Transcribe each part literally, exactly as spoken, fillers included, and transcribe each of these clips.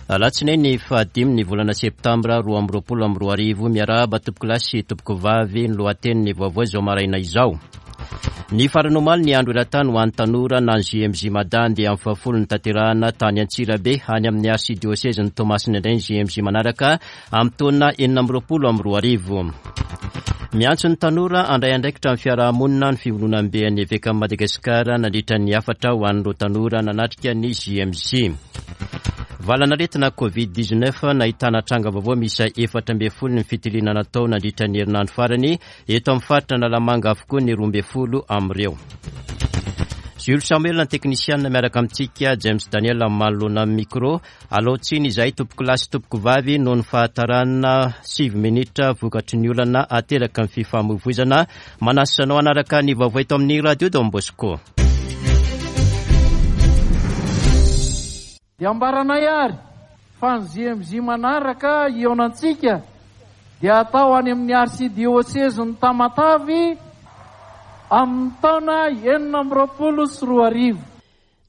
Alatsinainy fahadimy ny volana septambra roa amby roapolo amby roa arivo. Miarahaba tompokolahy sy tompokovavy. Ny lohatenin'ny vaovao izao maraina izao. Ny farany omaly ny andro eran-tany ho an'ny tanora na ny J M J Mada andiany fahafolo notanterahana tany Antsirabe. Any amin'ny arsidiosezin'i Toamasina indray ny J M J manaraka amin'ny taona enina amby roapolo amby roa arivo. Miantso ny tanora handray andraikitra amin'ny fiarahamonina ny fivondronamben'ny eveka Madagasikara nandritra ny hafatra ho an'ireo tanora nanatrika ny J M J. Valanaretina Covid dix-neuf, nahitana tranga vaovao misy efatra ambin'ny folo ny fitiliana natao nandritra ny herinandro farany. Eto amin'ny faritra Analamanga avokoa ny roa ambin'ny folo amin'ireo. Jules Samuel ny teknisianina miaraka amintsika, James Daniel manoloana amin'ny micro. Alao tsiny izahay tompokolahy sy tompokovavy noho ny fahatarana sivy minitra vokatry ny olana ateraka ny fifamoivoizana. Manasa anao hanaraka ny vaovao eto amin'ny Radio Don Bosco. Dia ambaranay ary fa ny J M J manaraka hihaonantsika dia atao any amin'ny arsidiosezin'i Tamatavy amin'ny taona enina amby roapolo sy roa arivo.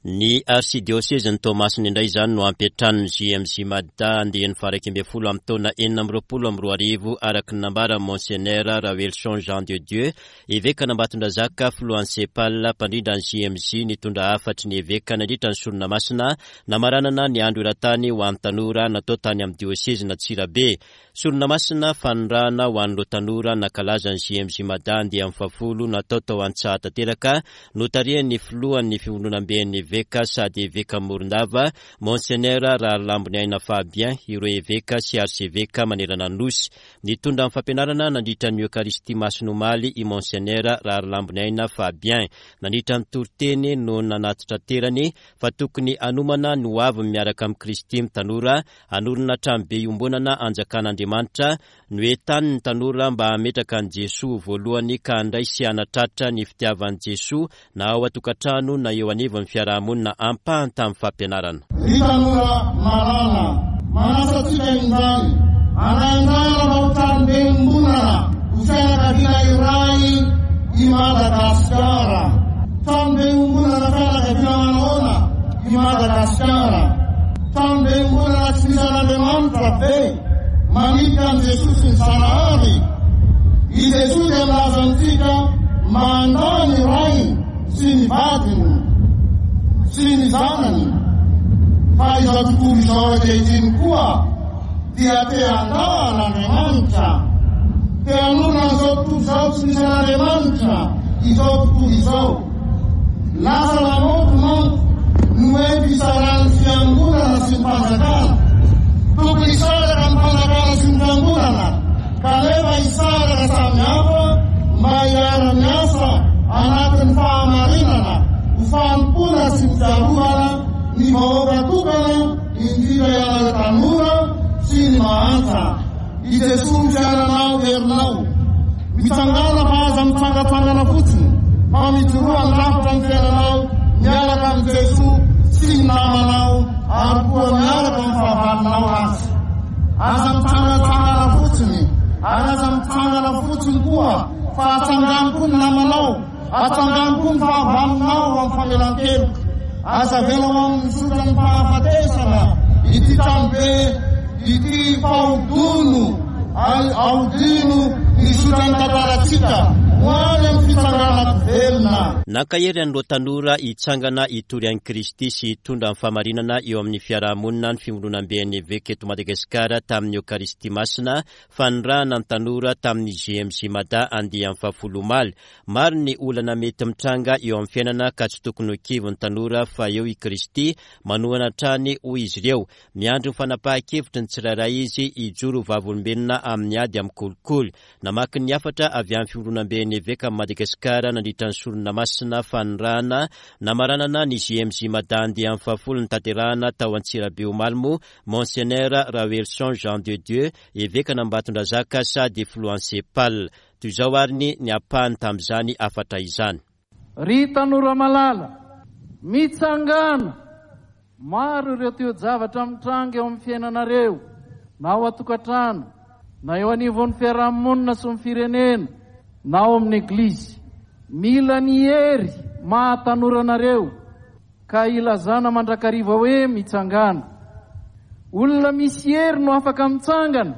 Ny arsidiosezin'i Toamasina indray izany no hampiantrano ny J M J Mada andiany faha-iraika ambin'ny folo amin'ny taona enina amby roapolo amby roa arivo, araka ny nambaran'i Monseigneur Raoelison Jean de Dieu, evekan'Ambatondrazaka, filohan'ny CEPAL, mpandrindra ny J M J, nitondra hafatry ny eveka nandritra ny sorona masina namaranana ny andro eran-tany ho an'ny tanora natao tany amin'ny diosezin'Antsirabe. Sorona masina fanirahana ho an'ireo tanora nankalaza ny J M J Mada andiany fahafolo natao tao Antsahatanteraka, notarihan'ny filohan'ny fivondronamben'ny eveka sady eveka Morondava, Monseigneur Rahalamboniaina Fabien, ireo eveka sy arseveka manerana ny nosy. Nitondra ny fampianarana nandritra ny Eucharistie masina omaly i Monseigneur Rahalamboniaina Fabien. Nandritra ny toriteny no nanatitraterany fa tokony hanomana ny ho avy miaraka amin'i Kristy ny tanora, hanorina tranobe iombonana anjakan'Andriamanitra. Noentaniny ny tanora mba hametraka an'i Jesoa voalohany ka handray sy hanatratra ny fitiavan'i Jesoa na ao an-tokantrano na eo anivon'ny fiarahamonina, ampahany tamin'ny fampianarana. Ry tanora malala, manasa antsika indray handray anjara mba ho tranobe iombonana, ho fianakaviana iray i Madagasikara. Tranobe iombonana, fianakaviana manahoana i Madagasikara? Tranobe iombonana tsy misy an'Andriamanitra be manilika an'i Jesosy ny Zanahary? I Jesosy dia milaza amintsika mandà ny rainy sy ny vadiny sy ny zanany, fa izao tontolo izao ankehitriny koa dia te handà an'Andriamanitra, te hanorina an'izao tontolo izao tsy misy an'Andriamanitra izao tontolo izao. Lasa lamaody manko no hoe fisaran'ny fiangonana sy ny fanjakana. Tokony hisaraka ny fanjakana sy ny fiangonana, kanefa hisaraka samy hafa mba hiara-miasa anatin'ny fahamarinana ho fanompoana sy ny fiarovana ny vahoaka tokana, indrindra ianareo tanora sy ny mahantra. I Jesosy ny fiainanao, herinao. Mitsangana fa aza mitsangatsangana fotsiny, fa mijoroa handrafitra ny fiainanao miaraka amin'i Jesosy sy ny namanao ary koa miaraka amin'ny fahavalonao azy. Aza mitsangatsangana fotsiny ary aza mitsangana fotsiny koa, fa atsangano koa ny namanao, atsangano koa ny fahavalonao amin'ny famelan-keloka. Aza avela ho amin'ny zotran'ny fahafatesana ity tranobe ity, fa ahodino, ahodino ny zotran'ny tantarantsika ho any amin'ny fitsanganana velona. Nankahery an'ireo tanora hitsangana hitory an'i Kristy sy hitondra ny fahamarinana eo amin'ny fiarahamonina ny fivondronamben'ny eveka eto Madagasikara tamin'ny Eucharistie masina fanirahana ny tanora tamin'ny J M J Mada andiany fahafolo omaly. Maro ny olana mety mitranga eo amin'ny fiainana ka tsy tokony ho kivy ny tanora fa eo i Kristy manohana hatrany, hoy izy ireo. Miandry ny fanapahan-kevitry ny tsirairay izy hijoro vavolombelona amin'ny ady amin'ny kolikoly. Namaky ny hafatra avy amin'ny fivondronamben'ny eveka Madagasikara nandritra ny sorona masina fanirahana namaranana ny J M J Mada andiany fahafolo notanterahana tao Antsirabe omaly moa Monseigneur Raoelison Jean de Dieu, evekan'Ambatondrazaka sady filohan'ny CEPAL. Toy izao ary ny ny ampahany tamin'izany hafatra izany. Ry tanora malala, mitsangana! Maro ireo toe-javatra mitranga eo amin'ny fiainanareo, na ao an-tokantrano, na eo anivon'ny fiarahamonina sy ny firenena, na ao amin'ny eglizy. Mila ny hery mahatanora anareo ka ilazana mandrakariva hoe mitsangana. Olona misy hery no afaka mitsangana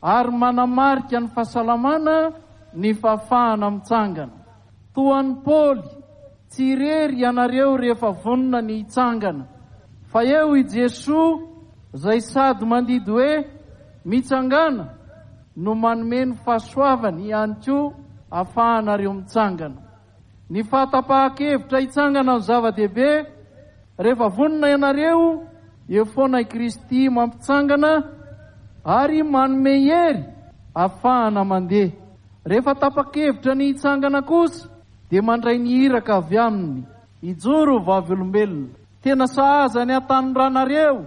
ary manamarika ny fahasalamana ny fahafahana mitsangana. Toa an'i Paoly, tsy irery ianareo rehefa vonona ny hitsangana, fa eo i Jesoa izay sady mandidy hoe mitsangana no manome ny fahasoavany ihany koa ahafahanareo mitsangana. Ny fahatapahan-kevitra hitsangana no zava-dehibe. Rehefa vonona ianareo, eo foana i Kristy mampitsangana ary manome hery ahafahana mandeha. Rehefa tapa-kevitra ny hitsangana kosa dia mandray ny iraka avy aminy hijoro vavolombelona. Tena sahaza ny hatanoranareo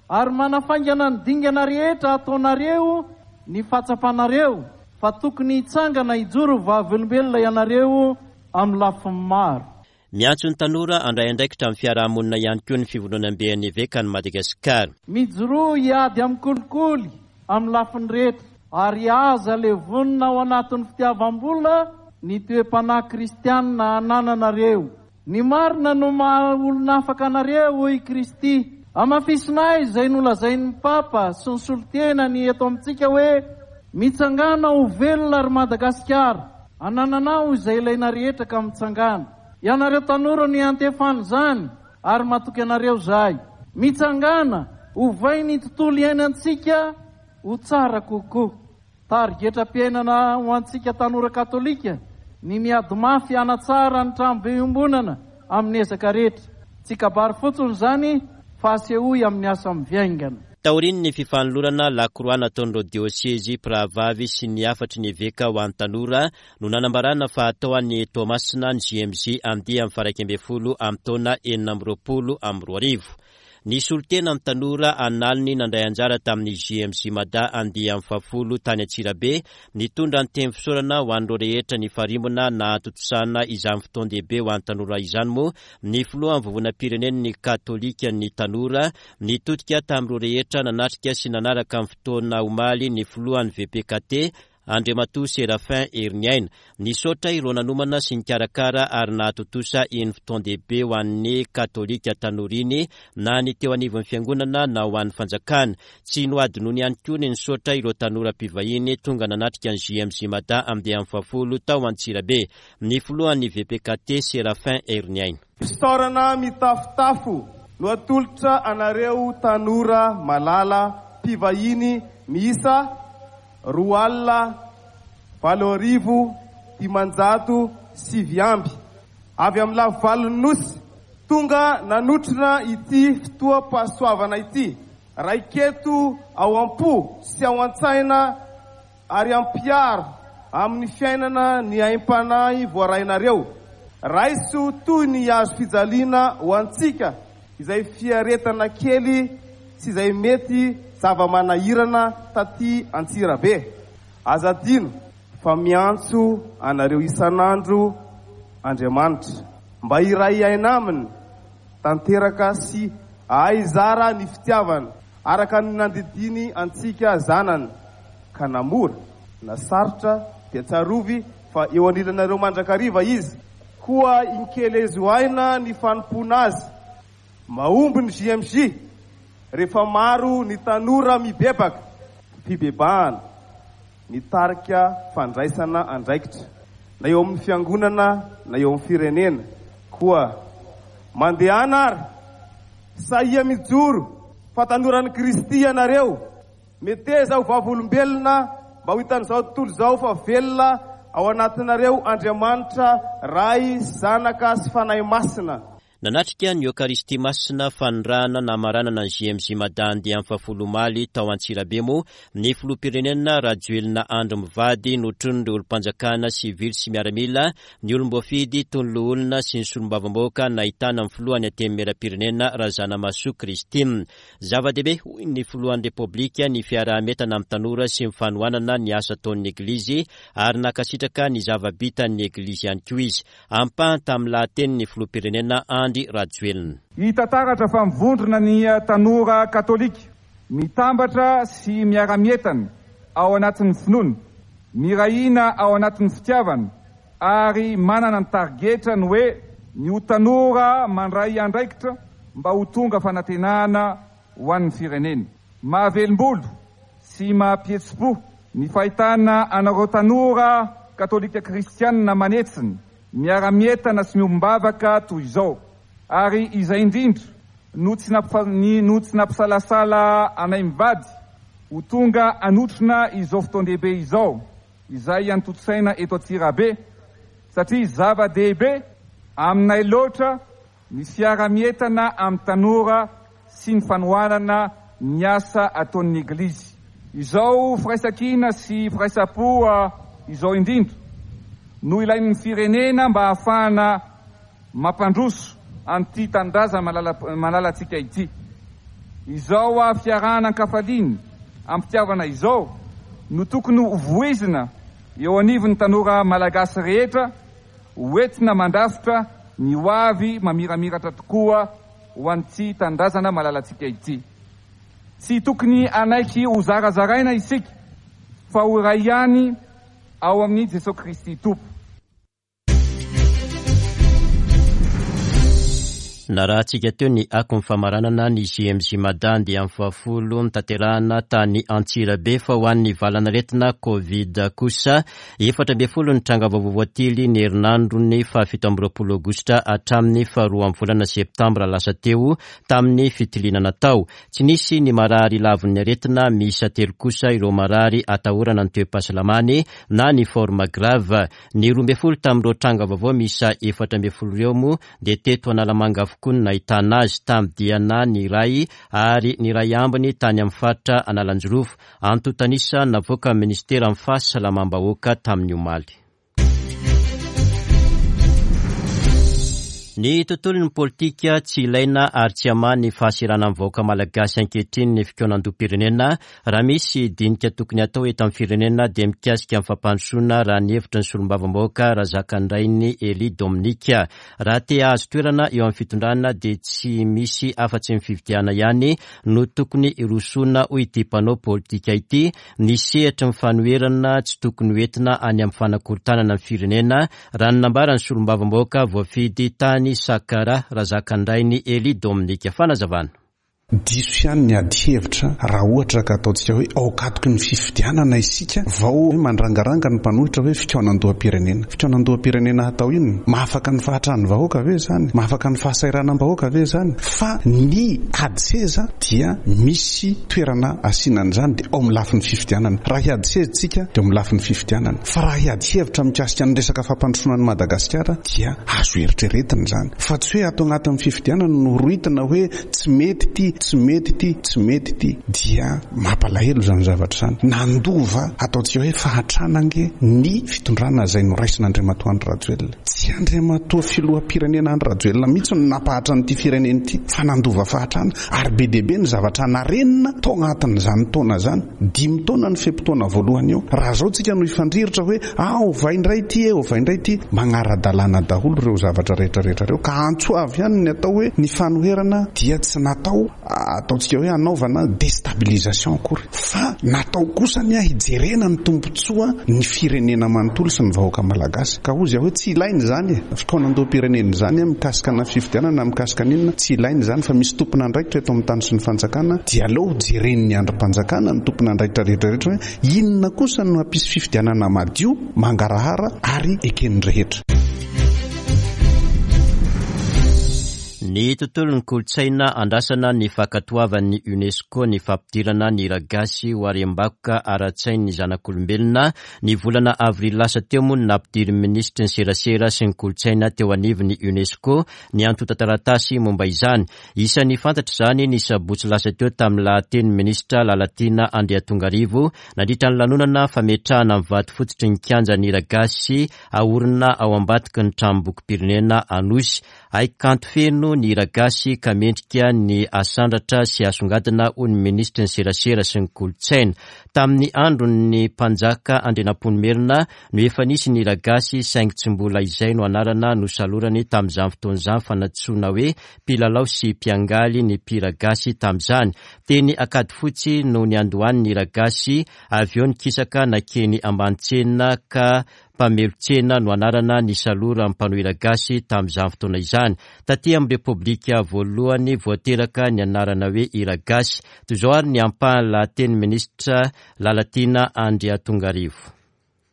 ary manafaingana ny dingana rehetra ataonareo ny fahatsapanareo fa tokony hitsangana hijoro vavolombelona ianareo amin'ny lafiny maro. Miantso ny tanora handray andraikitra amin'ny fiarahamonina ihany koa ny fivondronamben'ny evekan'i Madagasikara. Mijoroa hiady amin'ny kolikoly amin'ny lafiny rehetra ary aza levonina ao anatin'ny fitiavam-bola ny toe-panahy kristianina anananareo. Ny marina no maha olona afaka anareo, hoy Kristy. Hamafisinay izay nolazain'ny Papa sy ny solontenany eto amintsika hoe mitsangana ho velona ry Madagasikara, anananao izay ilaina rehetra ka mitsangana. Ianareo tanora no iantefana izany ary matoky anareo izahay. Mitsangana, ovay ny tontolo iainantsika ho tsara kokoa. Tarigetram-piainana ho antsika tanora katolika ny miady mafy hanatsara ny tranobe iombonana amin'ny ezaka rehetra. Tsy kabary fotsiny izany fa asehoy amin'ny asa mivaingana. Taorian'ny fifanolorana lakroa nataon'ireo diosezy mpirahavavy sy ny hafatry ny eveka ho an'ny tanora no nanambarana fa hatao any Toamasina ny J M J andiany faha iraika ambin'ny folo amin'ny taona enina amby roapolo amby roa arivo. Ny solontena ny tanora analiny nandray anjara tamin'ny J M J Mada andiany fahafolo tany Antsirabe nitondra ny teny fisaorana ho an'ireo rehetra nifarimbona nahatontosana izany fotoan-dehibe ho an'ny tanora izany moa ny filohan'ny vovonam-pirenen'ny katolika ny tanora nitodika tamin'ireo rehetra nanatrika sy nanaraka ny fotoana omaly ny filohan'ny V P K T Andriamatoa Séraphin Heriniaina. Nisaotra ireo nanomana sy nikarakara ary nahatontosa iny fotoan-dehibe ho an'ny katolika tanora iny na ny teo anivon'ny fiangonana na ho an'ny fanjakana. Tsy nohadinoiny ihany koa ny nisaotra ireo tanora mpivahiny tonga nanatrika ny J M J Mada andiany fahafolo tao Antsirabe. Ny filohan'ny V P K T Séraphin Heriniaina. Fisaorana mitafotafo no atolotra anareo tanora malala mpivahiny miisa roa alina valo arivo dimanjato sivy amby avy amin'ny lafivalon'ny nosy tonga nanotrona ity fotoam-pahasoavana ity. Raiketo ao am-po sy ao an-tsaina ary ampiaro amin'ny fiainana ny aim-panahy voarainareo. Raiso toy ny hazo fijaliana ho antsika izay fiaretana kely sy izay mety zava-manahirana taty Antsirabe. Aza adino fa miantso anareo isan'andro Andriamanitra mba hiray aina aminy tanteraka sy hahay-zara ny fitiavana araka ny nandidiny antsika zanany ka na mora na sarotra dia tsarovy fa eo anilanareo mandrakariva izy. Koa inkelezo aina ny fanompoana azy. Mahomby ny J M J rehefa maro ny tanora mibebaka. Fibebahana mitarika fandraisana andraikitra na eo amin'ny fiangonana na eo amin'ny firenena. Koa mandehana ary sahia mijoro fa tanoran'i Kristy ianareo. Meteza ho vavolombelona mba ho hitan'izao tontolo izao fa velona ao anatinareo Andriamanitra Ray, Zanaka sy Fanahy Masina. Nanatrika ny Eokaristia Masina fanirahana namaranana ny J M J Mada andiany fahafolo omaly tao Antsirabe moa ny filoham-pirenena Rajoelina Andry mivady notronon'ireo olom-panjakana sivily sy miaramila, ny olom-boafidy toy ny loholona sy ny solombavambahoaka nahitana ny filohan'ny Antenimierampirenena Razanamahasoa Christine. Zava-dehibe hoy ny filohan'ny Repoblika ny fiaraha-mientana amin'ny tanora sy ny fanohanana ny asa ataon'ny Eglizy ary nankasitraka ny zava-bitan'ny Eglizy ihany koa izy. Ampahany tamin'ny lahatenin'ny filoham-pirenena Andry Rajoelina. Hita taratra fa mivondrona ny tanora katolika, mitambatra sy miara-mientana ao anatin'ny finoana, mirahina ao anatin'ny fitiavana ary manana ny tarigetra ny hoe ny ho tanora mandray andraikitra mba ho tonga fanantenana ho an'ny firenena. Mahavelom-bolo sy mahapietsi-po ny fahitana anareo tanora katolika kristianina manetsina, miara-mientana sy miombom-bavaka toy izao. Ary izay indrindra no tsy no tsy nampisalasala anay mivady ho tonga hanotrona izao fotoan-dehibe izao, izay antontsaina eto Antsirabe, satria zava-dehibe aminay loatra ny fiara-mientana amin'ny tanora sy ny fanohanana ny asa ataon'ny Eglizy. Izao firaisankina sy firaisam-po izao indrindra no ilain'ny firenena mba hahafahana mampandroso an'ity tanindrazana malalantsika ity. Izao fiarahana ankafaliana am-pitiavana izao no tokony ho voizina eo anivon'ny tanora malagasy rehetra, hoentina mandrafitra ny ho avy mamiramiratra tokoa ho an'ity tanindrazana malalantsika ity. Tsy tokony hanaiky ho zarazaraina isika fa ho iray ihany ao amin'i Jesosy Kristy Tompo. Narahantsika teo ny akon'ny famaranana ny J M J Mada dia amin'ny fahafolo notanterahina tany Antsirabe, fa ho an'ny valanaretina Covid kosa efatra ambin'ny folo ny tranga vaovao voatily ny herinandron'ny fahafito amby roapolo aogositra hatramin'ny faharoa amin'ny volana septambra lasa teo tamin'ny fitiliana natao. Tsy nisy ny marary lavon'ny aretina, miisa telo kosa ireo marary atahorana ny toe-pahasalamany na ny forme grave. Ny roa ambin'ny folo tamin'ireo tranga vaovao miisa efatra ambin'ny folo ireo moa dia teto Analamanga avokoa no nahitana azy, tamin'ny diana ny iray ary ny iray ambiny tany amin'ny faritra Analanjirofo. Antontanisa navoaka ny ministeran'ny fahasalamam-bahoaka tamin'ny omaly. Ny tontolon'ny politika tsy ilaina ary tsy hamaha ny fahasahiranan'ny vahoaka malagasy ankehitriny ny fikaonandoham-pirenena. Raha misy dinika tokony hatao eto amin'ny firenena dia mikasika ny fampandrosoana, raha ny hevitry ny solombavambahoaka Razakandrainy Elie Dominique. Raha te hahazo toerana eo amin'ny fitondrana dia tsy misy afa-tsy ny fifidianana ihany no tokony hirosoana, hoy ity mpanao politika ity. Ny sehatry ny fanoherana tsy tokony hoentina any amin'ny fanakorontanana ny firenena, raha ny nambaran'ny solombavambahoaka voafidy tany Sakara Razakandrainy Elie Dominique. Fanazavana. Diso ihany ny ady hevitra raha ohatra ka ataontsika hoe ao akatoky ny fifidianana isika vao mandrangaranga ny mpanohitra hoe fikaonandoham-pirenena. Fikaonandoham-pirenena hatao inona? Mahafaka ny fahatran'ny vahoaka ve izany? Mahafaka ny fahasahiranam-bahoaka ve izany? Fa ny ady seza dia misy toerana asiana an'izany, dia ao amin'ny lafiny fifidianana. Raha hiady seza isika dia ao amin'ny lafiny fifidianana. Fa raha hiady hevitra mikasika ny resaka fampandrosoana an'i Madagasikara dia azo eritreretina izany. Fa tsy hoe ato anatin'ny fifidianana no rohitina hoe tsy mety ity, tsy mety ity, tsy mety ity, dia mampalahelo izany zavatra izany. Nandova ataontsika hoe fahantrana ange ny fitondrana izay noraisin'Andriamatoa Andry Rajoelina. Tsy Andriamatoa filoham-pirenena Andry Rajoelina mihitsy no nampahatra an'ity firenena ity, fa nandova fahantrana ary be dia be ny zavatra narenina tao anatin'izany taona izany. Dimy taona ny fe-potoana voalohany eo. Raha izao tsika no hifandrirotra hoe ah, ovay indray ity e, ovay indray ity, manara-dalàna daholo ireo zavatra rehetrarehetra ireo. Ka antso avy ihany ny atao hoe ny fanoherana dia tsy natao ataontsika hoe hanaovana déstabilisation akory, fa natao kosa ny hijerena ny tombontsoa ny firenena manontolo sy ny vahoaka malagasy. Ka hozy aho hoe tsy ilaina izany e, fikaonandoham-pirenena izany mikasika na fifidianana mikasika n'inona, tsy ilaina izany fa misy tompon'andraikitra eto amin'ny tany sy ny fanjakana, dia aleo jeren'ny andrim-panjakana ny tompon'andraikitra rehetrarehetra hoe inona kosa no hampisy fifidianana madio, mangarahara ary eken'ny rehetra. Ny tontolon'ny kolontsaina andrasana ny fankatoavan'ny UNESCO ny fampidirana ny hira gasy ho harem-bakoka ara-tsain'ny zanak'olombelona. Ny volana avrily lasa teo moa no nampidirin'ny minisitry ny serasera sy ny kolontsaina teo anivon'ny UNESCO ny antontan-taratasy momba izany. Isan'ny fantatra izany ny sabotsy lasa teo tamin'ny lahatenin'ny minisitra Lalatiana Andriatongarivo nandritra ny lanonana fametrahana ny vato fototry ny kianjan'ny hira gasy aorina ao ambadiky ny tranombokim-pirenena Anosy. Haikanto feno ny hira gasy ka mendrika ny asandratra sy asongadina, hoy ny minisitry ny serasera sy ny kolontsaina. Tamin'ny andron'ny mpanjaka Andrianampoinimerina no efa nisy ny hira gasy, saingy tsy mbola izay no anarana nosalorany tamin'izany fotoana izany, fa nantsoina hoe mpilalao sy mpiangaly ny mpihira gasy tamin'izany. Teny Ankadifotsy no niandohan'ny hira gasy, avy eo nikisaka nakeny Ambanitsena ka Mpamelon-tsena no anarana nisaloran'ny mpanao hira gasy tamin'izany fotoana izany. Taty amin'ny Repoblika voalohany voateraka ny anarana hoe hira gasy. Toy izao ary ny ampahan'ny lahatenin'ny minisitra Lalatiana Andriatongarivo.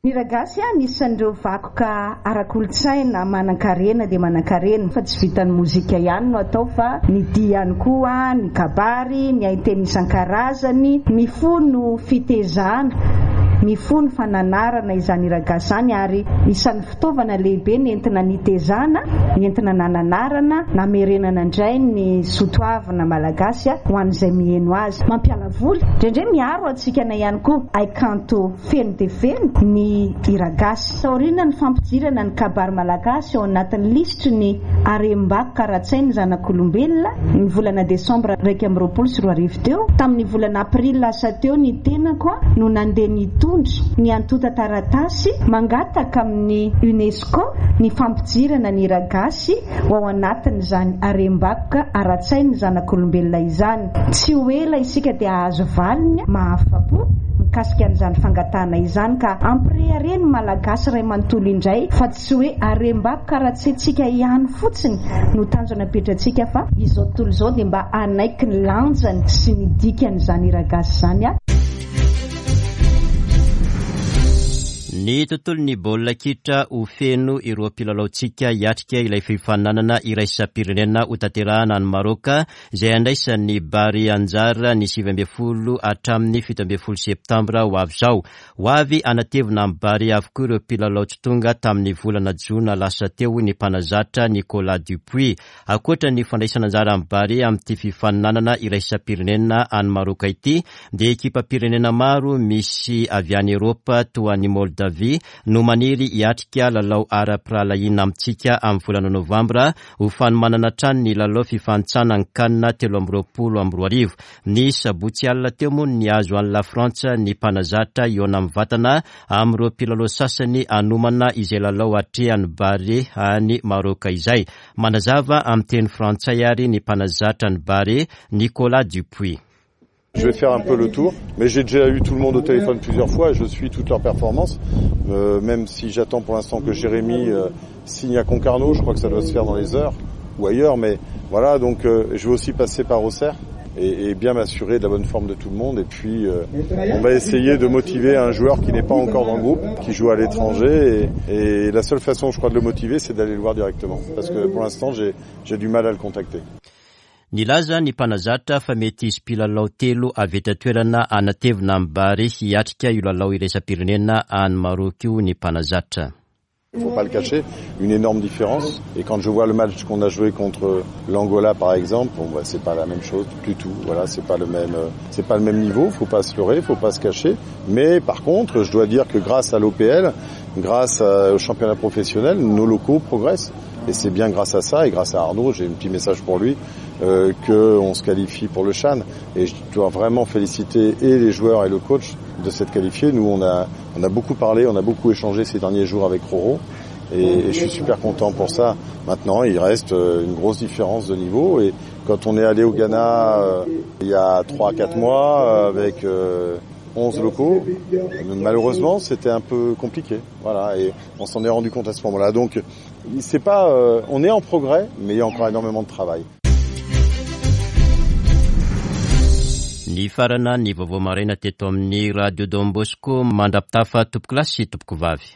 Ny hira gasy anisan'ireo vakoka ara-kolontsaina manan-karena dia manan-karena, fa tsy vitan'ny mozika ihany no atao fa ny dihy ihany koa, ny kabary, ny hainteny isan-karazany, mifono fitezana, mifono fananarana izany hira gasy izany, ary isan'ny fitaovana lehibe nentina nitezana, nentina nananarana, namerenana indray ny soatoavina malagasy ho an'izay miheno azy. Mampiala voly, indraindray miaro hatsikana ihany koa, haikanto feno dia feno ny hira gasy. Taoriana ny fampidirana ny kabary malagasy ao anatin'ny lisitry ny harem-bakoka ara-tsain'ny zanak'olombelona ny volana desambra iraika amby roapolo sy roa arivo teo, tamin'ny volana aprily lasa teo ny tenako no nandeha nitondra ny antontan-taratasy mangataka amin'ny UNESCO ny fampidirana ny hira gasy ho ao anatin'izany harem-bakoka ara-tsain'ny zanak'olombelona izany. Tsy ho ela isika dia hahazo valiny mahafa-po mikasika an'izany fangatahana izany, ka ampirehareny malagasy iray manontolo indray fa tsy hoe harem-bakoka ara-tsaintsika ihany fotsiny no tanjona apetratsika, fa izao tontolo izao dia mba hanaiky ny lanjany sy ny dikan'izany hira gasy izany. Ny tontolon'ny baolina kitra ho feno ireo mpilalaontsika hiatrika ilay fifaninanana iraisam-pirenena ho tanterahana any Maroka, izay andraisan'ny Barea anjara ny sivy ambin'ny folo hatramin'ny fito ambin'ny folo septambra ho avy izao. Ho avy hanatevina amin'ny Barea avokoa ireo mpilalao tsy tonga tamin'ny volana jona lasa teo ny mpanazatra Nicolas Dupuis. Ankoatra ny fandraisana anjara amin'ny Barea amin'ity fifaninanana iraisam-pirenena any Maroka ity, dia ekipam-pirenena maro misy avy any Eropa toa an'i Moldavia no maniry hiatrika lalao ara-pirahalahiana amintsika amin'ny volana novambra ho fanomanana hatrany ny lalao fifanintsanana ny CAN telo amby roapolo amby roa arivo. Ny sabotsy alina teo moa ny azo an'i La Frantsa ny mpanazatra hihaona amin'ny vatana amin'ireo mpilalao sasany hanomana izay lalao atrehan'ny Barea any Maroka izay. Manazava amin'ny teny frantsay ary ny mpanazatra ny Barea, Nicolas Dupuis. Je vais faire un peu le tour, mais j'ai déjà eu tout le monde au téléphone plusieurs fois et je suis toutes leurs performances. Euh, même si j'attends pour l'instant que Jérémy euh, signe à Concarneau, je crois que ça doit se faire dans les heures ou ailleurs, mais voilà, donc euh, je vais aussi passer par Auxerre et, et bien m'assurer de la bonne forme de tout le monde. Et puis euh, on va essayer de motiver un joueur qui n'est pas encore dans le groupe, qui joue à l'étranger, et, et la seule façon, je crois, de le motiver, c'est d'aller le voir directement, parce que pour l'instant, j'ai, j'ai du mal à le contacter. Nilaza ny mpanazatra fa mety hisy mpilalao telo avy eto an-toerana hanatevina amin'ny Barea hiatrika io lalao iraisam-pirenena any Maroka io ny mpanazatra. Il ne faut pas le cacher, une énorme différence. Et quand je vois le match qu'on a joué contre l'Angola, par exemple, bon, bah, c'est pas la même chose du tout. Voilà, c'est pas le même, c'est pas le même niveau. Faut pas se leurrer, faut pas se cacher. Mais par contre, je dois dire que grâce à l'O P L, grâce au championnat professionnel, nos locaux progressent. Et c'est bien grâce à ça et grâce à Arnaud, j'ai un petit message pour lui, euh, qu'on se qualifie pour le CHAN. Et je dois vraiment féliciter et les joueurs et le coach de s'être qualifiés. Nous, on a, on a beaucoup parlé, on a beaucoup échangé ces derniers jours avec Roro. Et, et je suis super content pour ça. Maintenant, il reste une grosse différence de niveau. Et quand on est allé au Ghana euh, il y a trois à quatre mois avec euh, onze locaux, malheureusement, c'était un peu compliqué. Voilà, et on s'en est rendu compte à ce moment-là. Donc, c'est pas, euh, on est en progrès, mais il y a encore énormément de travail. Ny farana ny vaovao maraina teto amin'ny Radio Don Bosco, mandra-pitafa tompoko lahy sy tompoko vavy.